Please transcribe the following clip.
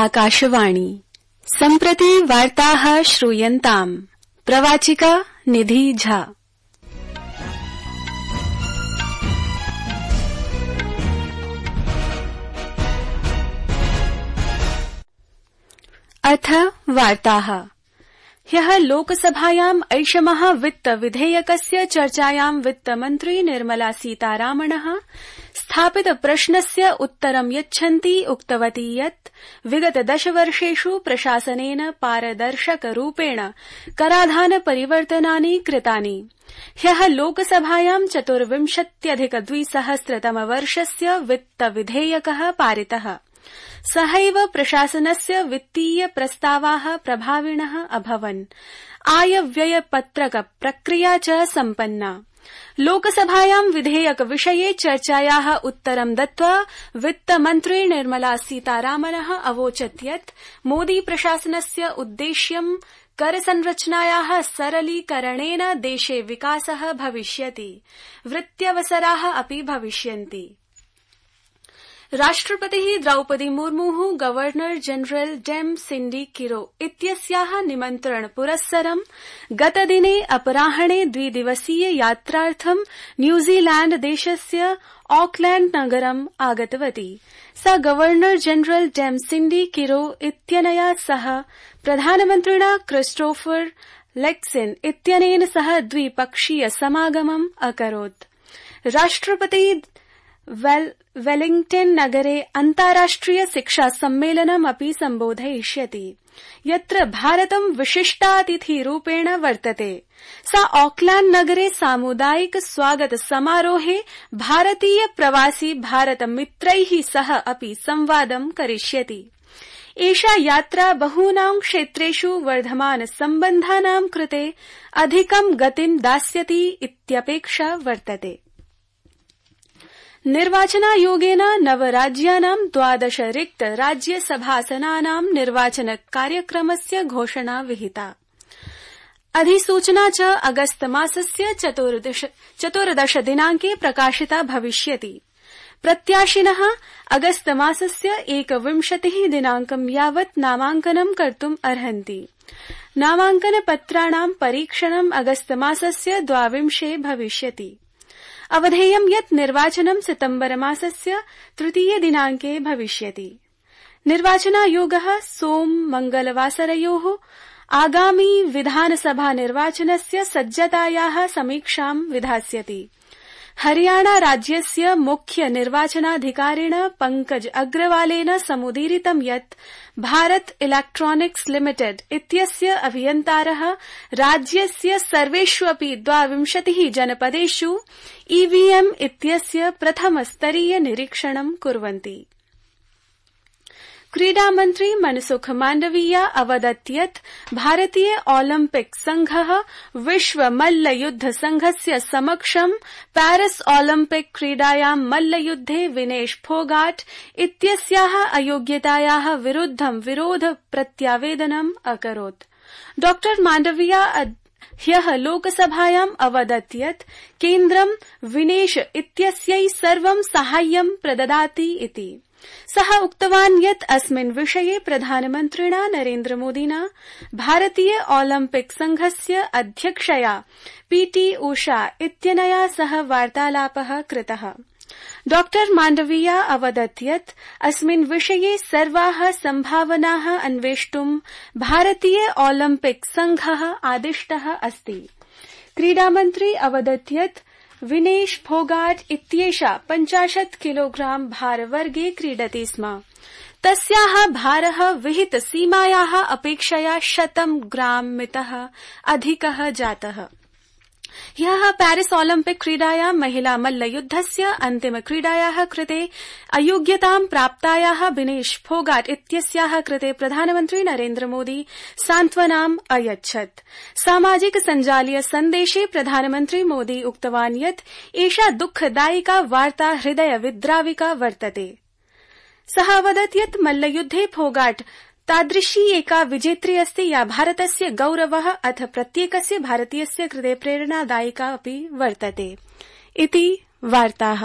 आकाशवाणी सम्प्रति वार्ताः श्रूयन्ताम्। प्रवाचिका निधि झा। अथ वार्ताः। ह्यः लोकसभायाम् ऐषमः वित्त विधेयकस्य चर्चायां वित्तमन्त्री निर्मला सीतारामणः स्थापित प्रश्नस्य उत्तरं यच्छन्ती उक्तवती यत् विगत 10 वर्षेषु प्रशासनेन पारदर्शकरूपेण कराधान परिवर्तनानि कृतानि। ह्यः लोकसभायां 24,2000 वित्त विधेयकः पारितः। सहैव प्रशासनस्य वित्तीय प्रस्तावाः प्रभाविणः अभवन्। आय व्यय पत्रक प्रक्रिया च सम्पन्ना। लोकसभायां विधेयक विषये चर्चायाः उत्तरं दत्त्वा वित्तमन्त्री निर्मला सीतारामनः अवोचत् यत् मोदी प्रशासनस्य उद्देश्यं करसंरचनायाः सरलीकरणेन देशे विकासः भविष्यति, वृत्त्यवसराः अपि भविष्यन्ति। राष्ट्रपतिः Draupadi मुर्मुः governor general dam सिंडी Kiro इत्यस्याः निमन्त्रण पुरस्सरं गतदिने अपराह्णे 2 दिवसीय यात्रार्थं न्यूजीलैंड देशस्य ऑकलैंड नगरम् आगतवती। सा गवर्नर जनरल डेम सिंडी किरो इत्यनया सह प्रधानमन्त्रिणा क्रिस्टोफर लेक्सिन इत्यनेन सह द्विपक्षीय समागमम् अकरोत्। राष्ट्रपति वेलिंगटन नगरे अन्ताराष्ट्रिय शिक्षा सम्मेलनमपि सम्बोधयिष्यति, यत्र भारतं विशिष्टातिथिरूपेण वर्तते। सा ऑकलैंड नगरे सामुदायिक स्वागत समारोहे भारतीय प्रवासी भारत मित्रैः सह अपि संवादं करिष्यति। एषा यात्रा बहूनां क्षेत्रेषु वर्धमान सम्बन्धानां कृते अधिकं गतिं दास्यति इत्यपेक्षा वर्तते। निर्वाचनायोगेन नवराज्यानां 12 रिक्त राज्यसभासनानां निर्वाचन कार्यक्रमस्य घोषणा विहिता। अधिसूचना च अगस्त मासस्य 14 दिनाङ्के प्रकाशिता भविष्यति। प्रत्याशिनः अगस्त मासस्य 21 दिनाङ्कं यावत् नामाङ्कनं कर्तुम् अर्हन्ति। नामाङ्कनपत्राणां परीक्षणम् अगस्त मासस्य 22 भविष्यति। अवधेयं यत् निर्वाचनं सितम्बर मासस्य 3 दिनाङ्के भविष्यति। निर्वाचनायोगः सोम मंगलवासरयोः आगामी विधानसभा निर्वाचनस्य सज्जतायाः समीक्षां विधास्यति। हरियाणा राज्यस्य मुख्य निर्वाचनाधिकारिण पंकज अग्रवालेन समुदीरितं यत् भारत इलेक्ट्रॉनिक्स लिमिटेड इत्यस्य अभियन्तारः राज्यस्य सर्वेष्वपि 22 जनपदेषु ईवीएम इत्यस्य प्रथमस्तरीय निरीक्षणं कुर्वन्ति। क्रीडामन्त्री मनसुख माण्डवीया अवदत् यत् भारतीय ओलम्पिक संघः विश्व मल्लयुद्ध संघस्य समक्षं पेरिस ओलम्पिक क्रीडायां मल्लयुद्धे विनेश फोगाट इत्यस्याः अयोग्यतायाः विरुद्धं विरोध प्रत्यावेदनम् अकरोत्। डॉ माण्डवीया ह्यः लोकसभायाम् अवदत् यत् केन्द्रं विनेश इत्यस्यै सर्वं साहाय्यं प्रददाति इति। सः उक्तवान् यत् अस्मिन् विषये प्रधानमन्त्रिणा नरेन्द्रमोदिना भारतीय ओलम्पिक संघस्य अध्यक्षया पीटी उषा इत्यनया सह वार्तालापः कृतः। डॉ माण्डवीया अवदत् यत् अस्मिन् विषये सर्वाः सम्भावनाः अन्वेष्टुं भारतीय ओलम्पिक संघः आदिष्टः अस्ति। क्रीडामन्त्री अवदत् यत् विनेश फोगाट इत्येषा 50 किलोग्राम भारवर्गे क्रीडति स्म। तस्याः भारः विहित सीमायाः अपेक्षया 100 ग्राम मितः अधिकः जातः। ह्यः पेरिस ओलम्पिक क्रीडायां महिला मल्लयुद्धस्य अन्तिम क्रीडायाः कृते अयोग्यतां प्राप्तायाः विनेश फोगाट इत्यस्याः कृते प्रधानमन्त्री नरेन्द्रमोदी सान्त्वनाम् अयच्छत्। सामाजिक सञ्जालीय सन्देशे प्रधानमन्त्री मोदी उक्तवान् यत् एषा दुःखदायिका वार्ता हृदय विद्राविका वर्तते। सः अवदत् यत् मल्लयुद्धे फोगाट तादृशी एका विजेत्री अस्ति या भारतस्य गौरवः अथ प्रत्येकस्य भारतीयस्य कृते प्रेरणादायिका अपि वर्तते। इति वार्ताः।